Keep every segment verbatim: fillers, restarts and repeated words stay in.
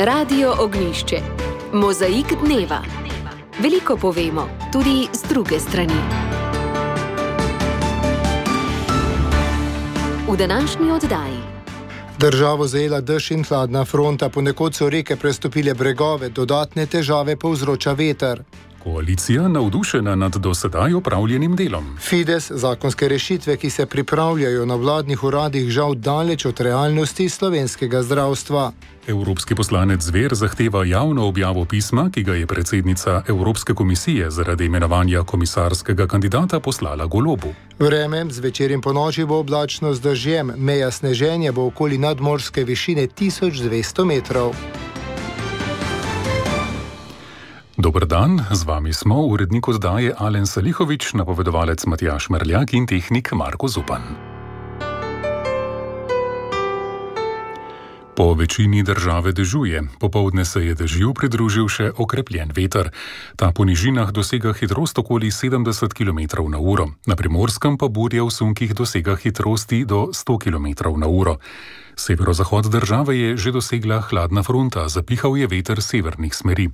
Radio Ognjišče. Mozaik dneva. Veliko povemo, tudi z druge strani. V današnji oddaji. Državo zajela dež in hladna fronta, ponekod so reke prestopile bregove, dodatne težave povzroča veter. Koalicija navdušena nad do sedaj opravljenim delom. Fides zakonske rešitve, ki se pripravljajo na vladnih uradih, žal daleč od realnosti slovenskega zdravstva. Evropski poslanec Zver zahteva javno objavo pisma, ki ga je predsednica Evropske komisije zaradi imenovanja komisarskega kandidata poslala Golobu. Vreme zvečer in ponoči bo oblačno z dežjem, meja sneženja bo okoli nadmorske višine tisoč dvesto metrov. Dober dan, z vami smo urednik oddaje Alen Salihovič, napovedovalec Matjaž Merljak in tehnik Marko Zupan. Po večini države dežuje. Popoldne se je dežju pridružil še okrepljen veter. Ta po nižinah dosega hitrost okoli sedemdeset kilometrov na uro. Na Primorskem pa burja v sunkih dosega hitrosti do sto kilometrov na uro. Severozahod države je že dosegla hladna fronta, zapihal je veter severnih smeri.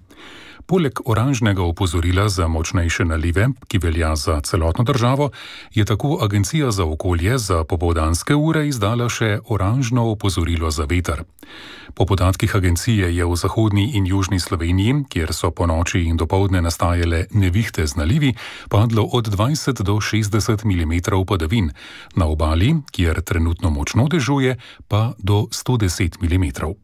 Poleg oranžnega opozorila za močnejše nalive, ki velja za celotno državo, je tako Agencija za okolje za popoldanske ure izdala še oranžno opozorilo za veter. Po podatkih agencije je v zahodni in južni Sloveniji, kjer so po noči in dopoldne nastajale nevihte z nalivi, padlo od dvajset do šestdeset milimetrov padavin, na obali, kjer trenutno močno dežuje, pa do sto deset milimetrov.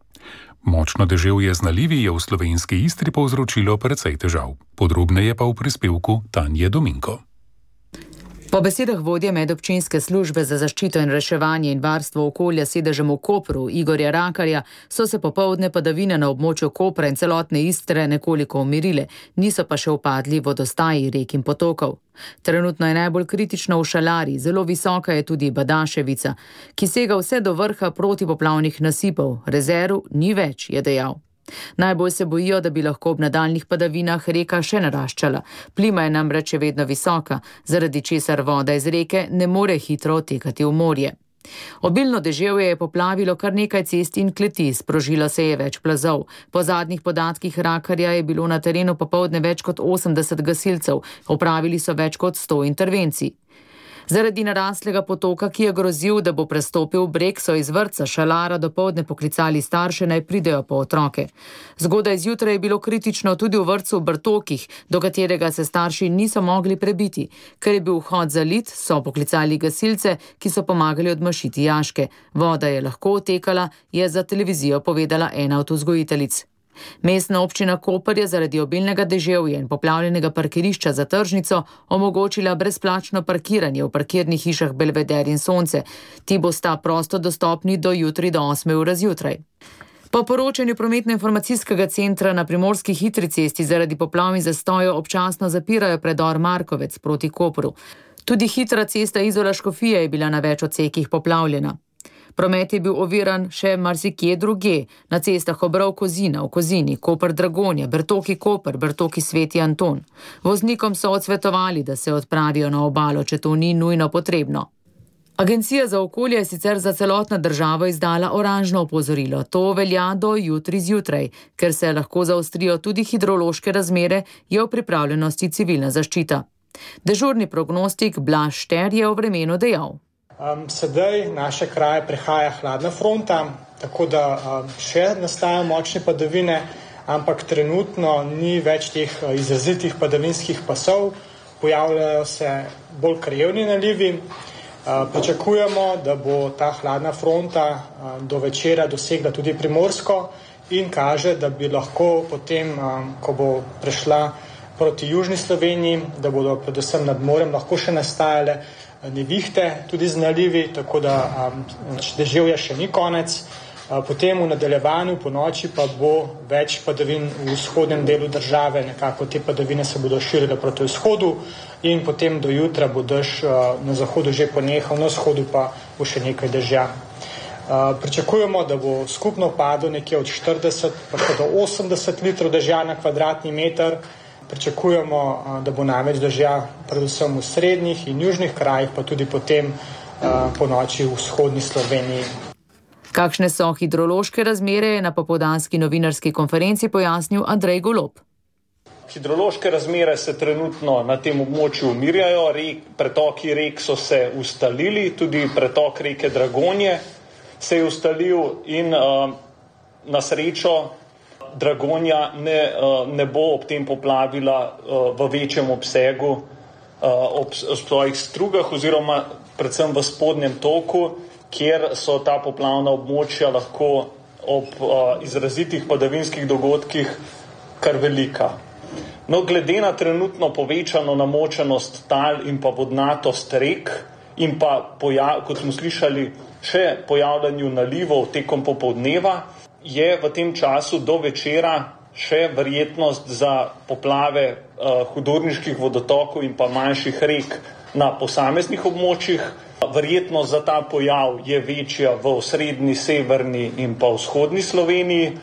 Močno deževje z nalivi je v slovenski Istri povzročilo precej težav. Podrobneje pa v prispevku Tanje Dominko. Po besedah vodje medobčinske službe za zaščito in reševanje in varstvo okolja sedežem v Kopru, Igorja Rakarja, so se popoldne padavine na območju Kopra in celotne Istre nekoliko umirile, niso pa še upadli vodostaji rek in potokov. Trenutno je najbolj kritično v Šalari, zelo visoka je tudi Badaševica, ki sega vse do vrha protipoplavnih nasipov. Rezerv ni več, je dejal. Najbolj se bojijo, da bi lahko ob nadaljnih padavinah reka še naraščala. Plima je namreč še vedno visoka, zaradi česar voda iz reke ne more hitro odtekati v morje. Obilno deževje je poplavilo kar nekaj cest in kleti, sprožilo se je več plazov. Po zadnjih podatkih Rakarja je bilo na terenu popoldne več kot osemdeset gasilcev, opravili so več kot sto intervencij. Zaradi naraslega potoka, ki je grozil, da bo prestopil breg, so iz vrtca Šalara dopoldne poklicali starše, naj pridejo po otroke. Zgodaj zjutraj je bilo kritično tudi v vrtcu v Brtokih, do katerega se starši niso mogli prebiti. Ker je bil vhod zalit, so poklicali gasilce, ki so pomagali odmašiti jaške. Voda je lahko odtekala, je za televizijo povedala ena od vzgojiteljic. Mestna občina Koper je zaradi obilnega deževja in poplavljenega parkirišča za tržnico omogočila brezplačno parkiranje v parkirnih hišah Belveder in Sonce. Ti bosta prosto dostopni do jutri do osme ure zjutraj. Po poročanju prometno-informacijskega centra na Primorski hitri cesti zaradi poplav in zastojev občasno zapirajo predor Markovec proti Kopru. Tudi hitra cesta Izola-Škofija je bila na več odsekih poplavljena. Promet je bil oviran še marsikje druge, na cestah Obrov-Kozina, v Kozini, Koper-Dragonja, Brtoki-Koper, Brtoki-Sveti Anton. Voznikom so odsvetovali, da se odpravijo na obalo, če to ni nujno potrebno. Agencija za okolje je sicer za celotno državo izdala oranžno opozorilo. To velja do jutri zjutraj, ker se lahko zaostrijo tudi hidrološke razmere, je v pripravljenosti civilna zaščita. Dežurni prognostik Blaž Šter je o vremenu dejal. Um, sedaj naše kraje prehaja hladna fronta, tako da um, še nastajajo močne padavine, ampak trenutno ni več teh uh, izrazitih padavinskih pasov, pojavljajo se bolj krajevni nalivi. Uh, pričakujemo, da bo ta hladna fronta uh, do večera dosegla tudi Primorsko in kaže, da bi lahko potem, um, ko bo prešla proti južni Sloveniji, da bodo predvsem nad morem lahko še nastajale nevihte, tudi z nalivi, tako da um, deževja še ni konec. Uh, potem v nadaljevanju po noči pa bo več padavin v vzhodnem delu države, nekako te padavine se bodo širile proti vzhodu in potem do jutra bo dež uh, na zahodu že ponehal, na vzhodu pa bo še nekaj dežja. Uh, pričakujemo, da bo skupno padlo nekje od štirideset pa do osemdeset litrov dežja na kvadratni meter. Pričakujemo, da bo največ dežja predvsem v srednjih in južnih krajih, pa tudi potem po noči v vzhodni Sloveniji. Kakšne so hidrološke razmere, je na popoldanski novinarski konferenci pojasnil Andrej Golob. Hidrološke razmere se trenutno na tem območju umirjajo, rek, pretoki rek so se ustalili, tudi pretok reke Dragonje se je ustalil in uh, na srečo Dragonja ne, uh, ne bo ob tem poplavila uh, v večjem obsegu uh, ob, ob svojih strugah oziroma predvsem v spodnjem toku, kjer so ta poplavna območja lahko ob uh, izrazitih padavinskih dogodkih kar velika. No, glede na trenutno povečano namočenost tal in pa vodnatost rek in pa, pojav, kot smo slišali, še pojavljanju nalivov tekom popoldneva, je v tem času do večera še verjetnost za poplave uh, hudorniških vodotokov in pa manjših rek na posameznih območjih. Verjetnost za ta pojav je večja v osrednji, severni in pa vzhodni Sloveniji.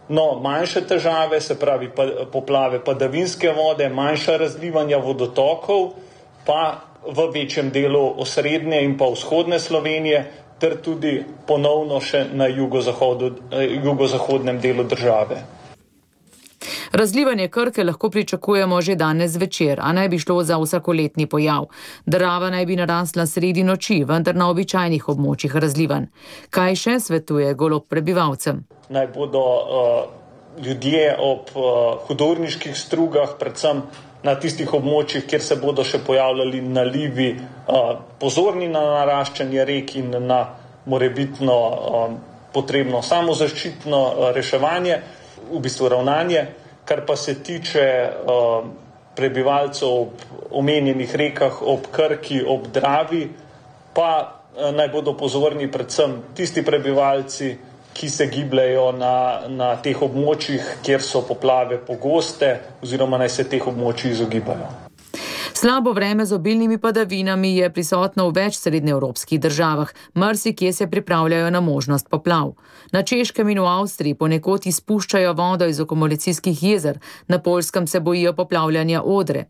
No, manjše težave, se pravi pa, poplave padavinske vode, manjša razlivanja vodotokov, pa v večjem delu osrednje in pa vzhodne Slovenije, ter tudi ponovno še na jugozahodnem delu države. Razlivanje Krke lahko pričakujemo že danes zvečer, a naj bi šlo za vsakoletni pojav. Drava naj bi narasla sredi noči, vendar na običajnih območjih razlivanj. Kaj še svetuje Golob prebivalcem? Naj bodo uh, ljudje ob uh, hudorniških strugah, predvsem na tistih območjih, kjer se bodo še pojavljali nalivi, uh, pozorni na naraščanje rek in na morebitno uh, potrebno samozaščitno uh, reševanje, v bistvu ravnanje. Kar pa se tiče uh, prebivalcev ob omenjenih rekah, ob Krki, ob Dravi, pa uh, naj bodo pozorni predvsem tisti prebivalci, ki se gibljajo na, na teh območjih, kjer so poplave pogoste, oziroma naj se teh območij izogibajo. Slabo vreme z obilnimi padavinami je prisotno v več srednjeevropskih državah, marsikje se pripravljajo na možnost poplav. Na Češkem in v Avstriji ponekod izpuščajo vodo iz akumulacijskih jezer, na Poljskem se bojijo poplavljanja Odre.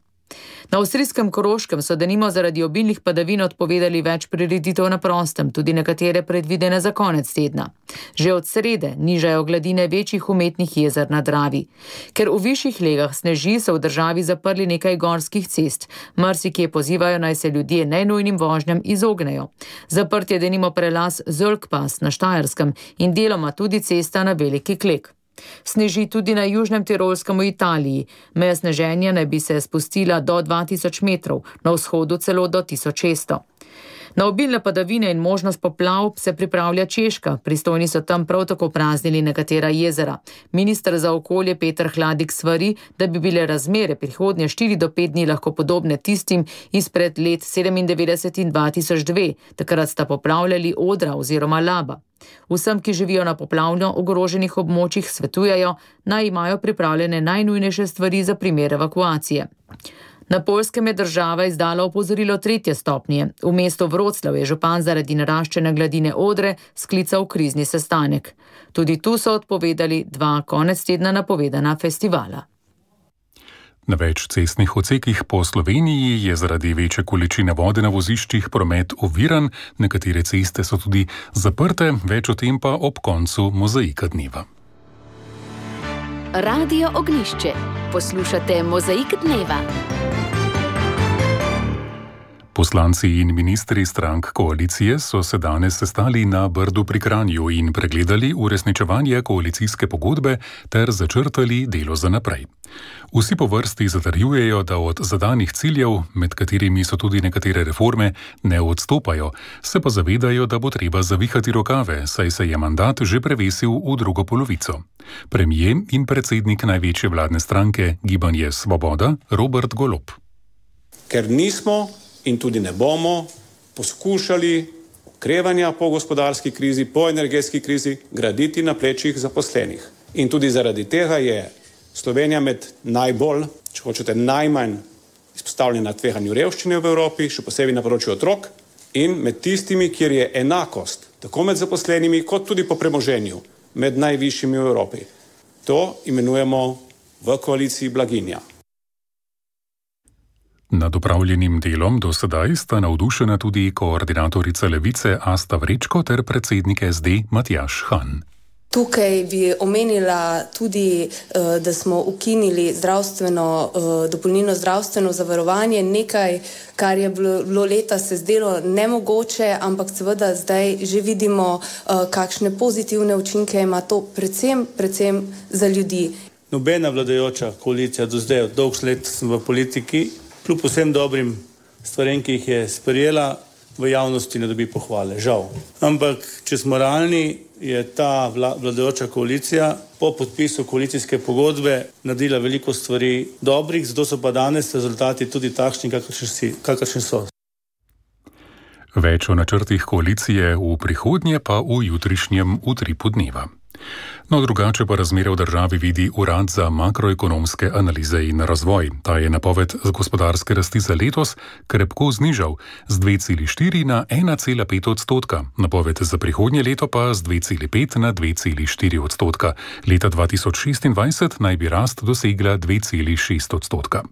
Na avstrijskem Koroškem so denimo zaradi obilnih padavin odpovedali več prireditev na prostem, tudi nekatere predvidene za konec tedna. Že od srede nižajo gladine večjih umetnih jezer na Dravi. Ker v višjih legah sneži, so v državi zaprli nekaj gorskih cest. Marsikje pozivajo, naj se ljudje najnujnim vožnjam izognejo. Zaprt je denimo prelaz Zölkpass na Štajerskem in deloma tudi cesta na Veliki Klek. Sneži tudi na južnem Tirolskem v Italiji. Meja sneženja naj bi se spustila do dva tisoč metrov, na vzhodu celo do tisoč šeststo. Na obilne padavine in možnost poplav se pripravlja Češka, pristojni so tam prav tako praznili nekatera jezera. Minister za okolje Peter Hladik svari, da bi bile razmere prihodnje štiri do pet dni lahko podobne tistim izpred let sedemindevetdeset in dva tisoč dve, takrat sta poplavljali Odra oziroma Laba. Vsem, ki živijo na poplavno ogroženih območjih, svetujejo, naj imajo pripravljene najnujnejše stvari za primer evakuacije. Na Poljskem je država izdala opozorilo tretje stopnje. V mestu Vroclav je župan zaradi naraščene gladine Odre sklical krizni sestanek. Tudi tu so odpovedali dva konec tedna napovedana festivala. Na več cestnih odsekih po Sloveniji je zaradi večje količine vode na voziščih promet oviran, nekatere ceste so tudi zaprte, več o tem pa ob koncu Mozaika dneva. Radio Ognjišče. Poslušate Mozaik dneva. Poslanci in ministri strank koalicije so se danes sestali na Brdu pri Kranju in pregledali uresničevanje koalicijske pogodbe ter začrtali delo za naprej. Vsi po vrsti zatrjujejo, da od zadanih ciljev, med katerimi so tudi nekatere reforme, ne odstopajo, se pa zavedajo, da bo treba zavihati rokave, saj se je mandat že prevesil v drugo polovico. Premier in predsednik največje vladne stranke Gibanje Svoboda Robert Golob. Ker nismo in tudi ne bomo poskušali okrevanja po gospodarski krizi, po energetski krizi graditi na plečih zaposlenih. In tudi zaradi tega je Slovenija med najbolj, če hočete najmanj izpostavljena tveganju revščine v Evropi, še posebej na področju otrok, in med tistimi, kjer je enakost, tako med zaposlenimi, kot tudi po premoženju, med najvišjimi v Evropi. To imenujemo v koaliciji blaginja. Nad opravljenim delom do sedaj sta navdušena tudi koordinatorica Levice Asta Vrečko ter predsednik S D Matjaž Han. Tukaj bi omenila tudi, da smo ukinili zdravstveno, dopolnilno zdravstveno zavarovanje, nekaj, kar je bilo leta se zdelo nemogoče, ampak seveda zdaj že vidimo, kakšne pozitivne učinke ima to predvsem, predvsem za ljudi. Nobena vladajoča koalicija do zdaj, od dolg let sem v politiki, kljub vsem dobrim stvarem, ki jih je sprejela, v javnosti ne dobi pohvale, žal. Ampak, če smo realni, je ta vladajoča koalicija po podpisu koalicijske pogodbe naredila veliko stvari dobrih, zato so pa danes rezultati tudi takšni, kakršni so. Več o načrtih koalicije v prihodnje pa v jutrišnjem Utripu dneva. No, drugače pa razmere v državi vidi Urad za makroekonomske analize in razvoj. Ta je napoved gospodarske rasti za letos krepko znižal z dve celi štiri na ena cela pet odstotka. Napoved za prihodnje leto pa z dve celi pet na dve celi štiri odstotka. Leta dva tisoč šestindvajset naj bi rast dosegla dve celi šest odstotka.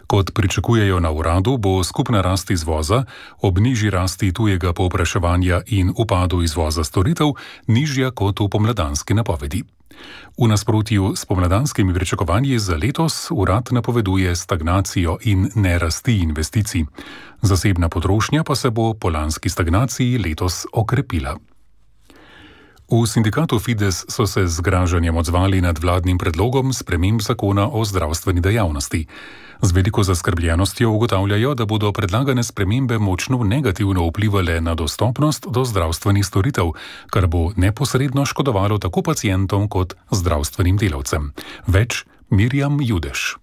Kot pričakujejo na uradu, bo skupna rast izvoza ob nižji rasti tujega povpraševanja in upadu izvoza storitev nižja kot v pomladanski napovedi. V nasprotju s pomladanskimi pričakovanji za letos urad napoveduje stagnacijo in nerasti investicij. Zasebna potrošnja pa se bo po lanski stagnaciji letos okrepila. V sindikatu Fides so se z zgražanjem odzvali nad vladnim predlogom sprememb zakona o zdravstveni dejavnosti. Z veliko zaskrbljenostjo ugotavljajo, da bodo predlagane spremembe močno negativno vplivale na dostopnost do zdravstvenih storitev, kar bo neposredno škodovalo tako pacientom kot zdravstvenim delavcem. Več Mirjam Judež.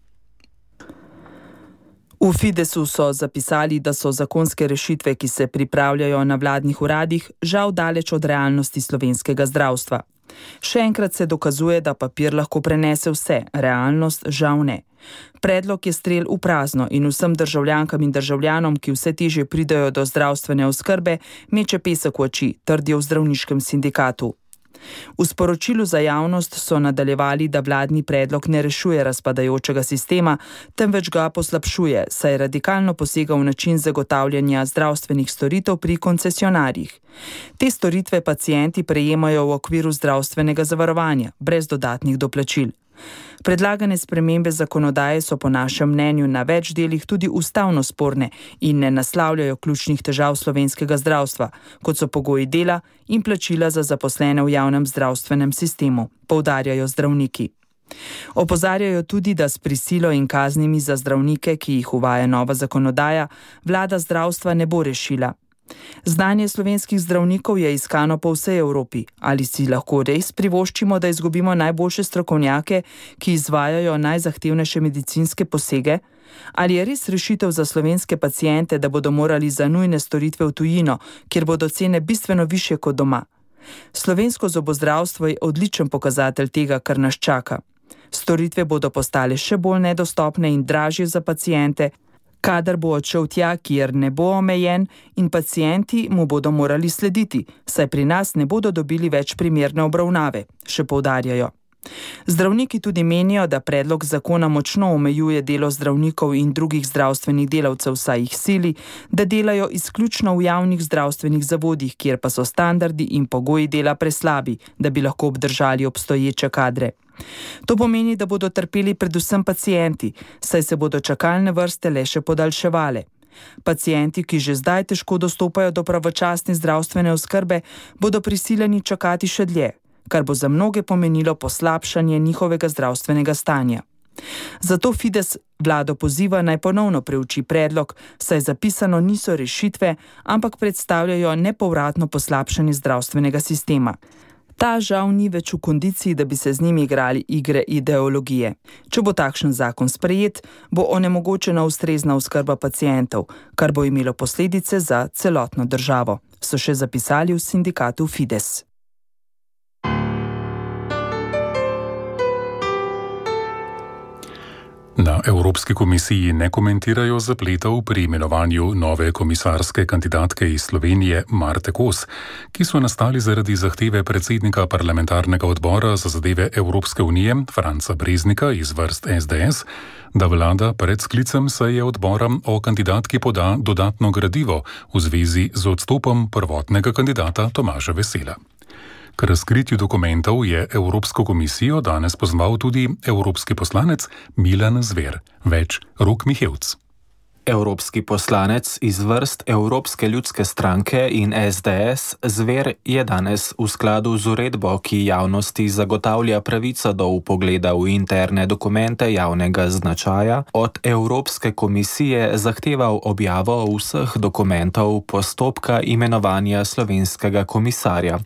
V Fidesu so zapisali, da so zakonske rešitve, ki se pripravljajo na vladnih uradih, žal daleč od realnosti slovenskega zdravstva. Še enkrat se dokazuje, da papir lahko prenese vse, realnost žal ne. Predlog je strel v prazno in vsem državljankam in državljanom, ki vse težje pridajo do zdravstvene oskrbe, meče pesek v oči, trdijo v zdravniškem sindikatu. V sporočilu za javnost so nadaljevali, da vladni predlog ne rešuje razpadajočega sistema, temveč ga poslabšuje, saj radikalno posega v način zagotavljanja zdravstvenih storitev pri koncesionarjih. Te storitve pacienti prejemajo v okviru zdravstvenega zavarovanja, brez dodatnih doplačil. Predlagane spremembe zakonodaje so po našem mnenju na več delih tudi ustavno sporne in ne naslavljajo ključnih težav slovenskega zdravstva, kot so pogoji dela in plačila za zaposlene v javnem zdravstvenem sistemu, poudarjajo zdravniki. Opozarjajo tudi, da s prisilo in kaznimi za zdravnike, ki jih uvaja nova zakonodaja, vlada zdravstva ne bo rešila. Znanje slovenskih zdravnikov je iskano po vsej Evropi. Ali si lahko res privoščimo, da izgubimo najboljše strokovnjake, ki izvajajo najzahtevnejše medicinske posege? Ali je res rešitev za slovenske paciente, da bodo morali za nujne storitve v tujino, kjer bodo cene bistveno višje kot doma? Slovensko zobozdravstvo je odličen pokazatelj tega, kar nas čaka. Storitve bodo postale še bolj nedostopne in dražje za paciente, kadar bo odšel tja, kjer ne bo omejen in pacienti mu bodo morali slediti, saj pri nas ne bodo dobili več primerne obravnave, še poudarjajo. Zdravniki tudi menijo, da predlog zakona močno omejuje delo zdravnikov in drugih zdravstvenih delavcev, saj jih sili, da delajo izključno v javnih zdravstvenih zavodih, kjer pa so standardi in pogoji dela preslabi, da bi lahko obdržali obstoječe kadre. To pomeni, da bodo trpeli predvsem pacienti, saj se bodo čakalne vrste le še podaljševale. Pacienti, ki že zdaj težko dostopajo do pravočasne zdravstvene oskrbe, bodo prisiljeni čakati še dlje, kar bo za mnoge pomenilo poslabšanje njihovega zdravstvenega stanja. Zato Fides vlado poziva naj ponovno preuči predlog, saj zapisano niso rešitve, ampak predstavljajo nepovratno poslabšanje zdravstvenega sistema. Ta žal ni več v kondiciji, da bi se z njimi igrali igre ideologije. Če bo takšen zakon sprejet, bo onemogočena ustrezna oskrba pacientov, kar bo imelo posledice za celotno državo, so še zapisali v sindikatu Fides. Na Evropski komisiji ne komentirajo zapletov pri imenovanju nove komisarske kandidatke iz Slovenije Marte Kos, ki so nastali zaradi zahteve predsednika parlamentarnega odbora za zadeve Evropske unije Franca Breznika iz vrst es de es, da vlada pred sklicem seje odbora o kandidatki poda dodatno gradivo v zvezi z odstopom prvotnega kandidata Tomaža Vesela. K razkritju dokumentov je Evropsko komisijo danes pozval tudi evropski poslanec Milan Zver. Več Rok Mihevc. Evropski poslanec iz vrst Evropske ljudske stranke in es de es Zver je danes v skladu z uredbo, ki javnosti zagotavlja pravico do vpogleda v interne dokumente javnega značaja, od Evropske komisije zahteval objavo vseh dokumentov postopka imenovanja slovenskega komisarja.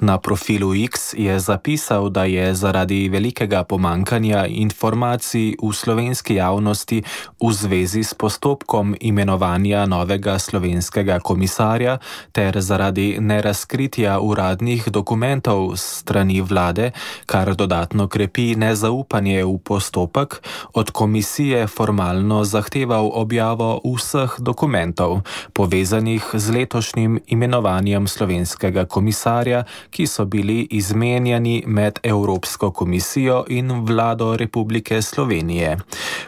Na profilu X je zapisal, da je zaradi velikega pomankanja informacij v slovenski javnosti v zvezi s postopkom imenovanja novega slovenskega komisarja ter zaradi nerazkritja uradnih dokumentov strani vlade, kar dodatno krepi nezaupanje v postopek, od komisije formalno zahteval objavo vseh dokumentov, povezanih z letošnjim imenovanjem slovenskega komisarja, ki so bili izmenjani med Evropsko komisijo in vlado Republike Slovenije.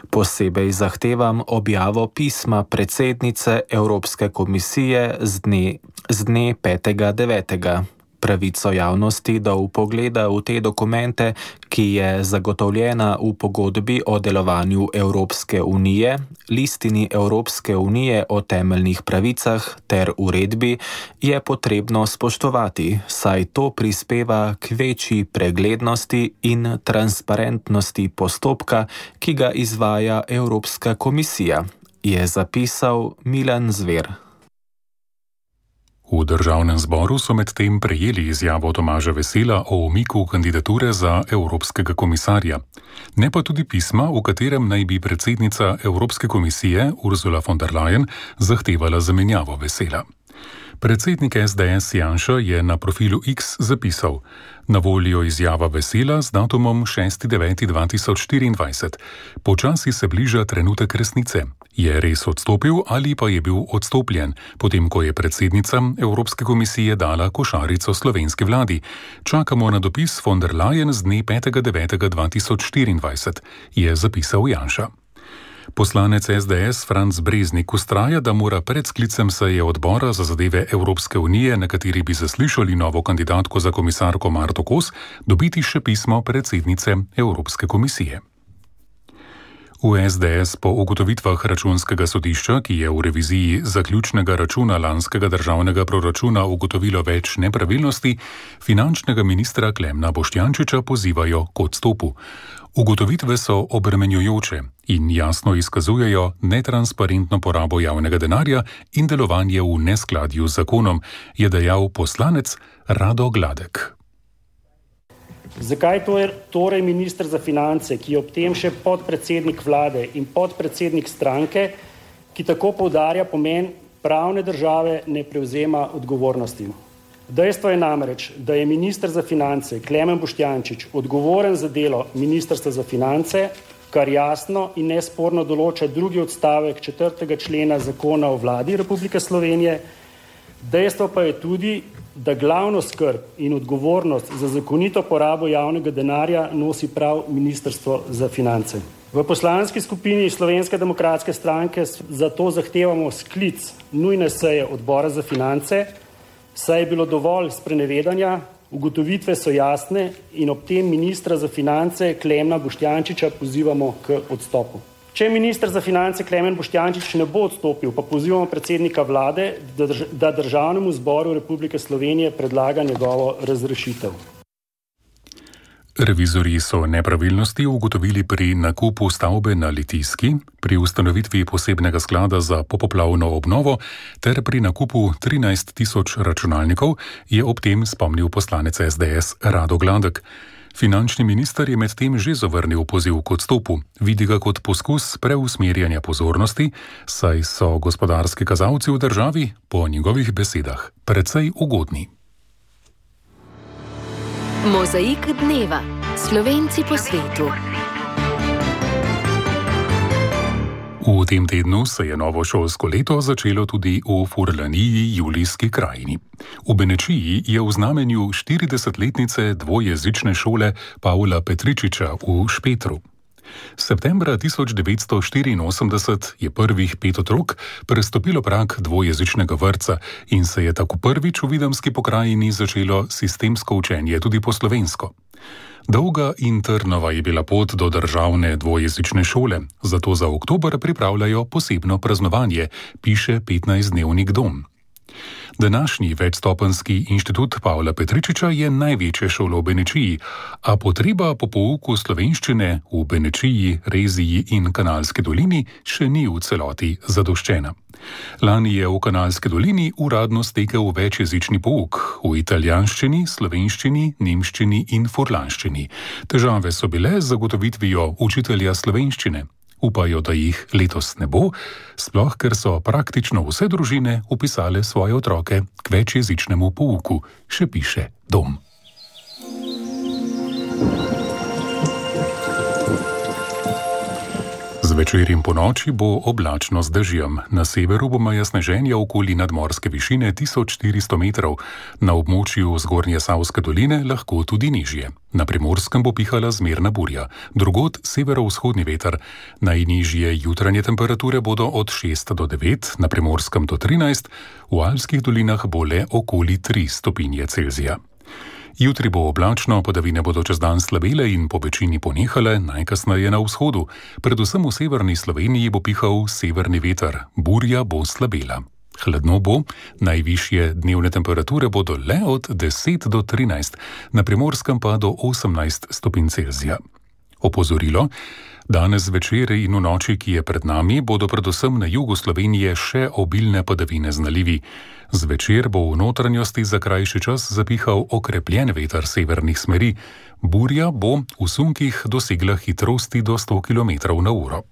Posebej zahtevam objavo pisma predsednice Evropske komisije z dne, z dne petega devetega Pravico javnosti do vpogleda v te dokumente, ki je zagotovljena v pogodbi o delovanju Evropske unije, listini Evropske unije o temeljnih pravicah ter uredbi, je potrebno spoštovati, saj to prispeva k večji preglednosti in transparentnosti postopka, ki ga izvaja Evropska komisija, je zapisal Milan Zver. V državnem zboru so medtem prejeli izjavo Tomaža Vesela o umiku kandidature za evropskega komisarja, ne pa tudi pisma, v katerem naj bi predsednica Evropske komisije Ursula von der Leyen zahtevala zamenjavo Vesela. Predsednik es de es Janša je na profilu X zapisal: na voljo izjava Vesela z datumom šesti deveti dva tisoč štiriindvajset. Počasi se bliža trenutek resnice. Je res odstopil ali pa je bil odstopljen, potem ko je predsednica Evropske komisije dala košarico slovenski vladi? Čakamo na dopis von der Leyen z dne petega devetega dva tisoč štiriindvajset, je zapisal Janša. Poslanec es de es Franc Breznik vztraja, da mora pred sklicem seje odbora za zadeve Evropske unije, na kateri bi zaslišali novo kandidatko za komisarko Marto Kos, dobiti še pismo predsednice Evropske komisije. V es de es po ugotovitvah računskega sodišča, ki je v reviziji zaključnega računa lanskega državnega proračuna ugotovilo več nepravilnosti, finančnega ministra Klemna Boštjančiča pozivajo k odstopu. Ugotovitve so obremenjujoče in jasno izkazujejo netransparentno porabo javnega denarja in delovanje v neskladju z zakonom, je dejal poslanec Rado Gladek. Zakaj torej minister za finance, ki je ob tem še podpredsednik vlade in podpredsednik stranke, ki tako poudarja pomen pravne države, ne prevzema odgovornosti? Dejstvo je namreč, da je minister za finance Klemen Boštjančič odgovoren za delo ministrstva za finance, kar jasno in nesporno določa drugi odstavek četrtega člena zakona o vladi Republike Slovenije. Dejstvo pa je tudi, da glavno skrb in odgovornost za zakonito porabo javnega denarja nosi prav ministrstvo za finance. V poslanski skupini Slovenske demokratske stranke zato zahtevamo sklic nujne seje odbora za finance, saj je bilo dovolj sprenevedanja, ugotovitve so jasne in ob tem ministra za finance Klemna Boštjančiča pozivamo k odstopu. Če minister za finance Klemen Boštjančič ne bo odstopil, pa pozivamo predsednika vlade, da Državnemu zboru Republike Slovenije predlaga njegovo razrešitev. Revizorji so nepravilnosti ugotovili pri nakupu stavbe na Litijski, pri ustanovitvi posebnega sklada za popoplavno obnovo ter pri nakupu trinajst tisoč računalnikov, je ob tem spomnil poslanec es de es Rado Gladek. Finančni minister je medtem že zavrnil poziv k odstopu, vidi ga kot poskus preusmerjanja pozornosti, saj so gospodarski kazalci v državi, po njegovih besedah, precej ugodni. Mozaik dneva. Slovenci po svetu. V tem tednu se je novo šolsko leto začelo tudi v Furlaniji, Julijski krajini. V Benečiji je v znamenju štiridesetletnice dvojezične šole Pavla Petričiča v Špetru. Septembra tisoč devetsto štiriinosemdeset je prvih pet otrok prestopilo prag dvojezičnega vrtca in se je tako prvič v Videmski pokrajini začelo sistemsko učenje tudi po slovensko. Dolga in trnova je bila pot do državne dvojezične šole, zato za oktober pripravljajo posebno praznovanje, piše petnajstdnevnik Dom. Današnji večstopenjski inštitut Pavla Petričiča je največja šola v Benečiji, a potreba po pouku slovenščine v Benečiji, Reziji in Kanalski dolini še ni v celoti zadoščena. Lani je v Kanalski dolini uradno stekel večjezični pouk v italijanščini, slovenščini, nemščini in furlanščini. Težave so bile z zagotovitvijo učitelja slovenščine. Upajo, da jih letos ne bo, sploh ker so praktično vse družine upisale svoje otroke k večjezičnemu pouku, še piše Dom. Zvečer in ponoči bo oblačno z dežjem. Na severu bo meja sneženja okoli nadmorske višine tisoč štiristo metrov, na območju zgornje Savske doline lahko tudi nižje. Na Primorskem bo pihala zmerna burja, drugod severovzhodni veter. Najnižje jutranje temperature bodo od šest do devet, na Primorskem do trinajst, v Alpskih dolinah bo le okoli tri stopinje Celzija. Jutri bo oblačno, padavine bodo čez dan slabele in po večini ponehale, najkasneje na vzhodu. Predvsem v severni Sloveniji bo pihal severni veter, burja bo slabela. Hladno bo, najvišje dnevne temperature bodo le od deset do trinajst, na Primorskem pa do osemnajst stopinj Celzija. Opozorilo: danes zvečer in v noči, ki je pred nami, bodo predvsem na jugu Slovenije še obilne padavine z nalivi. Zvečer bo v notranjosti za krajši čas zapihal okrepljen veter severnih smeri. Burja bo v sunkih dosegla hitrosti do sto kilometrov na uro.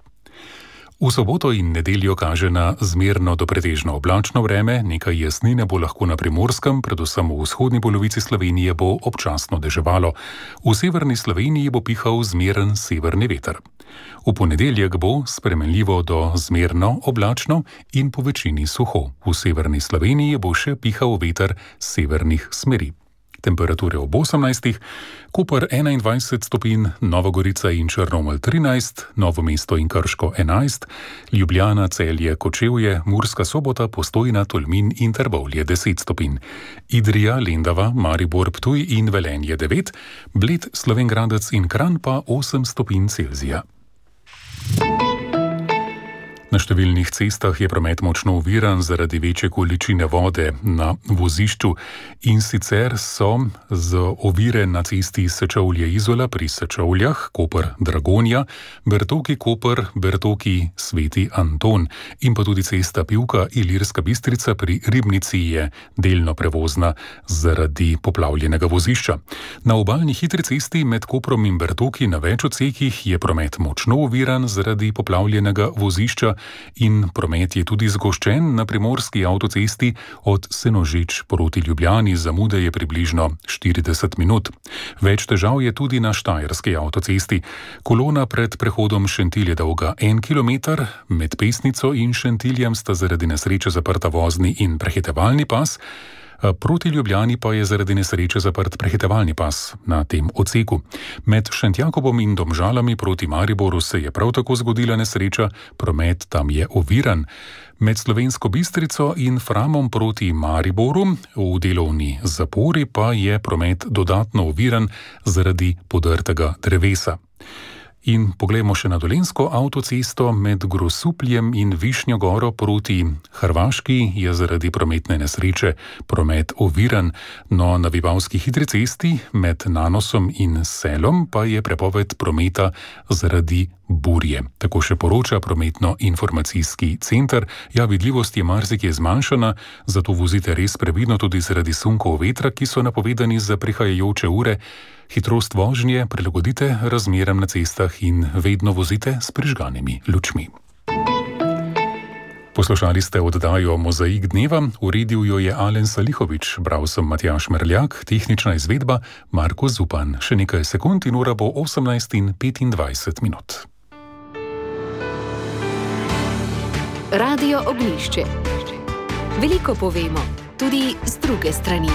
V soboto in nedeljo kaže na zmerno do pretežno oblačno vreme, nekaj jasnine bo lahko na Primorskem, predvsem v vzhodni polovici Slovenije bo občasno deževalo. V severni Sloveniji bo pihal zmeren severni veter. V ponedeljek bo spremenljivo do zmerno oblačno in po večini suho. V severni Sloveniji bo še pihal veter severnih smeri. Temperature ob osemnajstih, Koper enaindvajset stopinj, Nova Gorica in Črnomelj trinajst, Novo mesto in Krško enajst, Ljubljana, Celje, Kočevje, Murska Sobota, Postojna, Tolmin in Trbovlje deset stopinj, Idrija, Lendava, Maribor, Ptuj in Velenje devet, Bled, Slovenj Gradec in Kranj pa osem stopinj Celzija. Na številnih cestah je promet močno oviran zaradi večje količine vode na vozišču in sicer so z ovire na cesti Sečovlje-Izola pri Sečovljah, Koper-Dragonja, Bertoki-Koper, Bertoki-Sveti Anton in pa tudi cesta Pivka-Ilirska Bistrica pri Ribnici je delno prevozna zaradi poplavljenega vozišča. Na obalni hitri cesti med Koprom in Bertoki na več odsekih je promet močno oviran zaradi poplavljenega vozišča in promet je tudi zgoščen na primorski avtocesti od Senožeč proti Ljubljani, zamude je približno štirideset minut. Več težav je tudi na štajerski avtocesti. Kolona pred prehodom Šentilj je dolga en kilometer, med Pesnico in Šentiljem sta zaradi nesreče zaprta vozni in prehitevalni pas, proti Ljubljani pa je zaradi nesreče zaprt prehitevalni pas na tem odseku. Med Šentjakobom in Domžalami proti Mariboru se je prav tako zgodila nesreča, promet tam je oviran. Med Slovensko Bistrico in Framom proti Mariboru v delovni zapori pa je promet dodatno oviran zaradi podrtega drevesa. In poglejmo še na Dolenjsko avtocesto med Grosupljem in Višnjo Goro proti Hrvaški je zaradi prometne nesreče promet oviran, no na Vipavski hitri cesti med Nanosom in Selom pa je prepoved prometa zaradi burje. Tako še poroča prometno-informacijski center. Ja, vidljivost je marsikje zmanjšana, zato vozite res previdno tudi zaradi sunkov vetra, ki so napovedani za prihajajoče ure. Hitrost vožnje prilagodite razmeram na cestah in vedno vozite s prižganimi lučmi. Poslušali ste oddajo Mozaik dneva, uredil jo je Alen Salihovič, bral sem Matjaž Merljak, tehnična izvedba Marko Zupan. Še nekaj sekund in ura bo osemnajst in petindvajset minut. Radio Ognjišče. Veliko povemo, tudi z druge strani.